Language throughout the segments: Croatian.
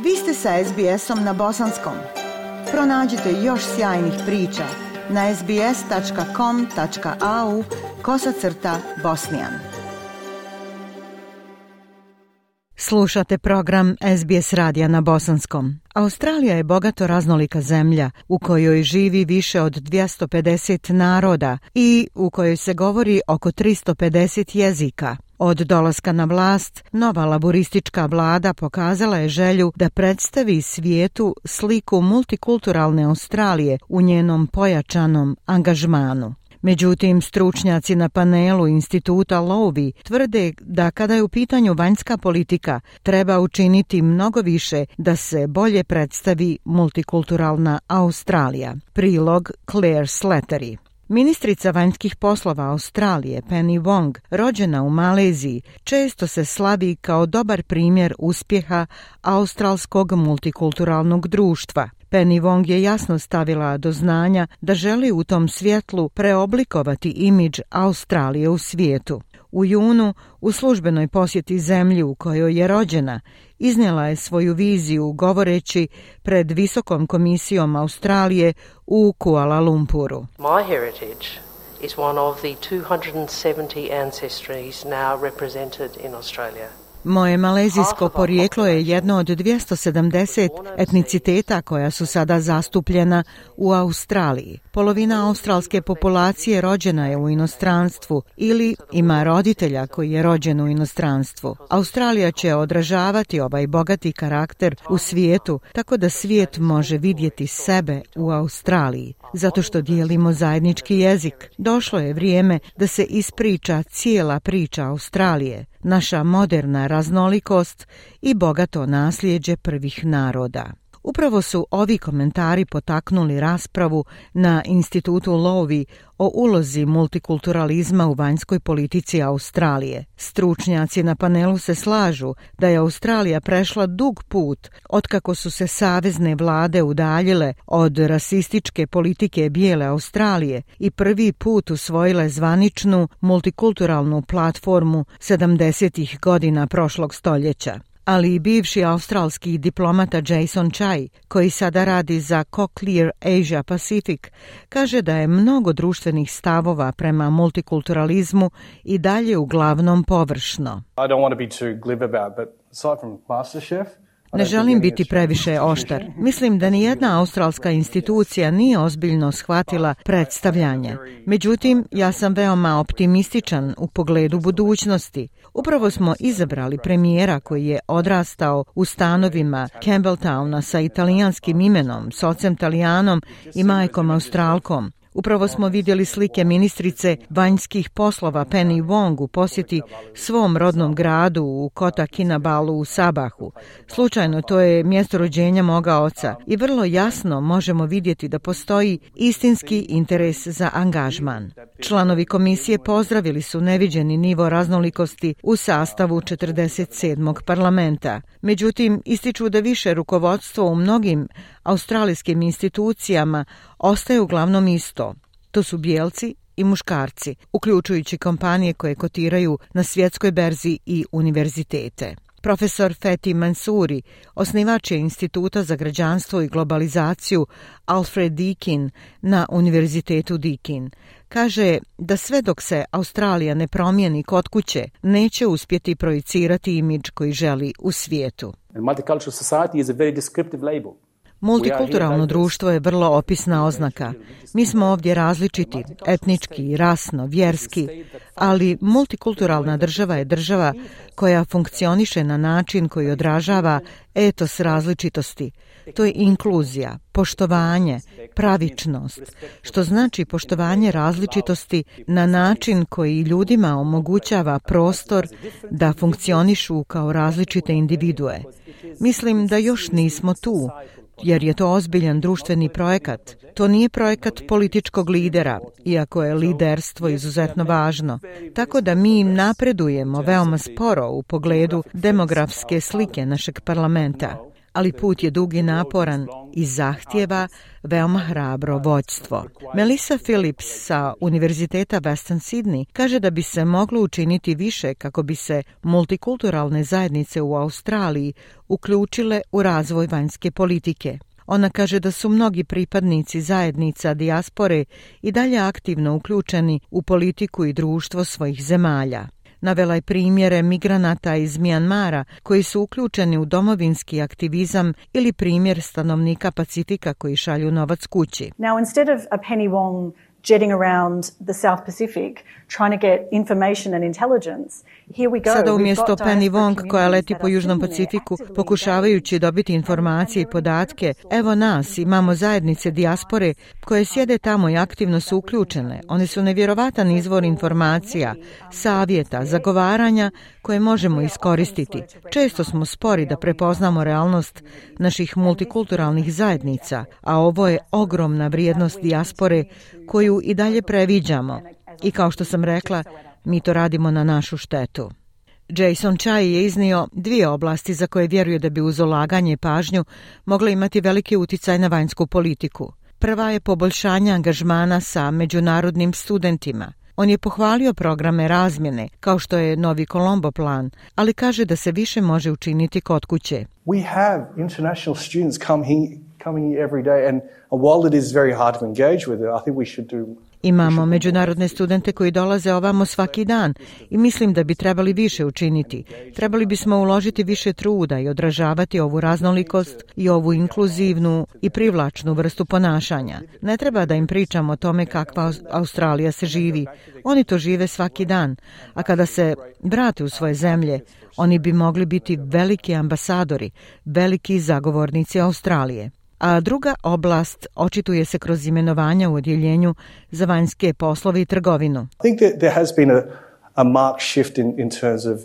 Vi ste sa SBS-om na bosanskom. Pronađite još sjajnih priča na sbs.com.au/bosnijan. Slušate program SBS radija na bosanskom. Australija je bogato raznolika zemlja u kojoj živi više od 250 naroda i u kojoj se govori oko 350 jezika. Od dolaska na vlast, nova laboristička vlada pokazala je želju da predstavi svijetu sliku multikulturalne Australije u njenom pojačanom angažmanu. Međutim, stručnjaci na panelu Instituta Lowy tvrde da kada je u pitanju vanjska politika, treba učiniti mnogo više da se bolje predstavi multikulturalna Australija. Prilog Claire Slattery. Ministrica vanjskih poslova Australije Penny Wong, rođena u Maleziji, često se slavi kao dobar primjer uspjeha australskog multikulturalnog društva. Penny Wong je jasno stavila do znanja da želi u tom svjetlu preoblikovati imidž Australije u svijetu. U junu, u službenoj posjeti zemlji u kojoj je rođena, iznijela je svoju viziju govoreći pred Visokom komisijom Australije u Kuala Lumpuru. My heritage is one of the 270 ancestries now represented in Australia. Moje malezijsko porijeklo je jedno od 270 etniciteta koja su sada zastupljena u Australiji. Polovina australske populacije rođena je u inostranstvu ili ima roditelja koji je rođen u inostranstvu. Australija će odražavati ovaj bogati karakter u svijetu, tako da svijet može vidjeti sebe u Australiji, zato što dijelimo zajednički jezik. Došlo je vrijeme da se ispriča cijela priča Australije, naša moderna raznolikost i bogato nasljeđe prvih naroda. Upravo su ovi komentari potaknuli raspravu na Institutu Lowy o ulozi multikulturalizma u vanjskoj politici Australije. Stručnjaci na panelu se slažu da je Australija prešla dug put otkako su se savezne vlade udaljile od rasističke politike bijele Australije i prvi put usvojile zvaničnu multikulturalnu platformu 70. godina prošlog stoljeća. Ali i bivši australski diplomata Jason Chai, koji sada radi za Cochlear Asia Pacific, kaže da je mnogo društvenih stavova prema multikulturalizmu i dalje uglavnom površno. I don't want to be too glib about, but aside from MasterChef, ne želim biti previše oštar. Mislim da nijedna australska institucija nije ozbiljno shvatila predstavljanje. Međutim, ja sam veoma optimističan u pogledu budućnosti. Upravo smo izabrali premijera koji je odrastao u stanovima Campbelltowna sa italijanskim imenom, s ocem Talijanom i majkom Australkom. Upravo smo vidjeli slike ministrice vanjskih poslova Penny Wong u posjeti svom rodnom gradu u Kota Kinabalu u Sabahu. Slučajno, to je mjesto rođenja moga oca i vrlo jasno možemo vidjeti da postoji istinski interes za angažman. Članovi komisije pozdravili su neviđeni nivo raznolikosti u sastavu 47. parlamenta. Međutim, ističu da više rukovodstvo u mnogim australijskim institucijama ostaje uglavnom isto. To su bijelci i muškarci, uključujući kompanije koje kotiraju na svjetskoj berzi i univerzitete. Profesor Fethi Mansouri, osnivač je Instituta za građanstvo i globalizaciju Alfred Deakin na Univerzitetu Deakin, kaže da sve dok se Australija ne promijeni kod kuće, neće uspjeti projicirati imidž koji želi u svijetu. multicultural society is a very descriptive label. Multikulturalno društvo je vrlo opisna oznaka. Mi smo ovdje različiti, etnički, rasno, vjerski, ali multikulturalna država je država koja funkcioniše na način koji odražava etos različitosti. To je inkluzija, poštovanje, pravičnost, što znači poštovanje različitosti na način koji ljudima omogućava prostor da funkcionišu kao različite individue. Mislim da još nismo tu, jer je to ozbiljan društveni projekat. To nije projekat političkog lidera, iako je liderstvo izuzetno važno. Tako da mi napredujemo veoma sporo u pogledu demografske slike našeg parlamenta. ali put je dug i naporan i zahtijeva veoma hrabro vođstvo. Melissa Phillips sa Univerziteta Western Sydney kaže da bi se moglo učiniti više kako bi se multikulturalne zajednice u Australiji uključile u razvoj vanjske politike. Ona kaže da su mnogi pripadnici zajednica dijaspore i dalje aktivno uključeni u politiku i društvo svojih zemalja. Navela je primjere migranata iz Mijanmara koji su uključeni u domovinski aktivizam ili primjer stanovnika Pacifika koji šalju novac kući. Now, instead of a Penny Wong jetting around the South Pacific trying to get information and intelligence, here we go. Sada umjesto Penny Wong koja leti po Južnom Pacifiku pokušavajući dobiti informacije i podatke, evo nas, imamo zajednice dijaspore koje sjede tamo i aktivno su uključene. One su nevjerovatan izvor informacija, savjeta, zagovaranja koje možemo iskoristiti. Često smo spori da prepoznamo realnost naših multikulturalnih zajednica, a ovo je ogromna vrijednost dijaspore koju i dalje previđamo. I kao što sam rekla, mi to radimo na našu štetu. Jason Chai je iznio 2 oblasti za koje vjeruje da bi uz ulaganje i pažnju mogle imati veliki uticaj na vanjsku politiku. Prva je poboljšanje angažmana sa međunarodnim studentima. On je pohvalio programe razmjene, kao što je Novi Colombo plan, ali kaže da se više može učiniti kod kuće. We have international students coming here every day, and while it is very hard to engage with it, I think we should do. Imamo međunarodne studente koji dolaze ovamo svaki dan i mislim da bi trebali više učiniti. Trebali bismo uložiti više truda i odražavati ovu raznolikost i ovu inkluzivnu i privlačnu vrstu ponašanja. Ne treba da im pričamo o tome kakva Australija se živi. Oni to žive svaki dan, a kada se vrate u svoje zemlje, oni bi mogli biti veliki ambasadori, veliki zagovornici Australije. A druga oblast očituje se kroz imenovanja u odjeljenju za vanjske poslove i trgovinu. I think that there has been a marked shift in terms of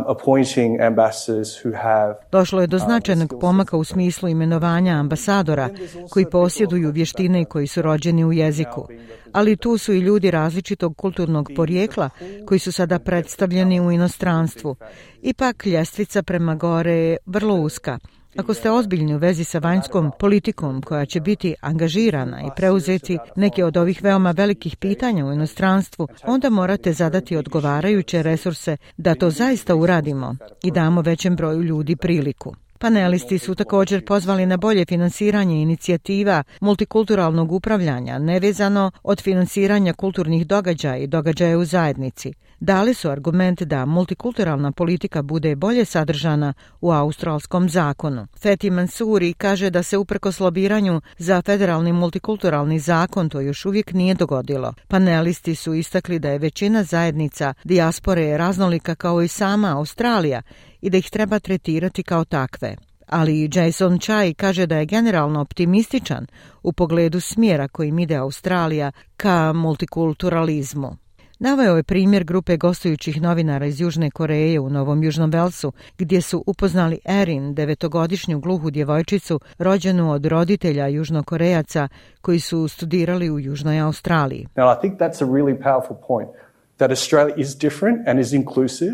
appointing ambassadors who have. Došlo je do značajnog pomaka u smislu imenovanja ambasadora koji posjeduju vještine i koji su rođeni u jeziku. Ali tu su i ljudi različitog kulturnog porijekla koji su sada predstavljeni u inostranstvu. Ipak ljestvica prema gore je vrlo uska. Ako ste ozbiljni u vezi sa vanjskom politikom koja će biti angažirana i preuzeti neke od ovih veoma velikih pitanja u inostranstvu, onda morate zadati odgovarajuće resurse da to zaista uradimo i damo većem broju ljudi priliku. Panelisti su također pozvali na bolje finansiranje inicijativa multikulturalnog upravljanja, nevezano od finansiranja kulturnih događaja i događaja u zajednici. Dali su argument da multikulturalna politika bude bolje sadržana u australskom zakonu. Fethi Mansouri kaže da se uprkos lobiranju za federalni multikulturalni zakon to još uvijek nije dogodilo. Panelisti su istakli da je većina zajednica dijaspore raznolika kao i sama Australija i da ih treba tretirati kao takve. Ali Jason Chai kaže da je generalno optimističan u pogledu smjera kojim ide Australija ka multikulturalizmu. Naveo je primjer grupe gostujućih novinara iz Južne Koreje u Novom Južnom Velsu, gdje su upoznali Erin, 9-godišnju gluhu djevojčicu, rođenu od roditelja Južnokorejaca koji su studirali u Južnoj Australiji. Now, I think that's a really powerful point, that Australia is different and is inclusive.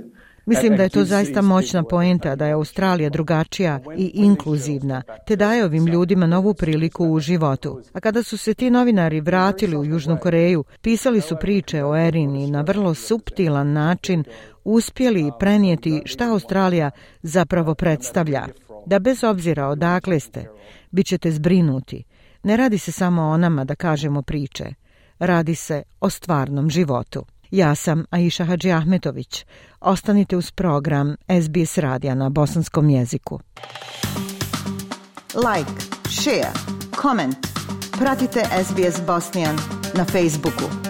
Mislim da je to zaista moćna poenta da je Australija drugačija i inkluzivna, te daje ovim ljudima novu priliku u životu. A kada su se ti novinari vratili u Južnu Koreju, pisali su priče o Erin i na vrlo suptilan način uspjeli prenijeti šta Australija zapravo predstavlja. Da bez obzira odakle ste, bit ćete zbrinuti. Ne radi se samo o nama da kažemo priče. Radi se o stvarnom životu. Ja sam Aisha Hadžiahmetović. Ostanite uz program SBS radija na bosanskom jeziku. Like, share, comment. Pratite SBS Bosnian na Facebooku.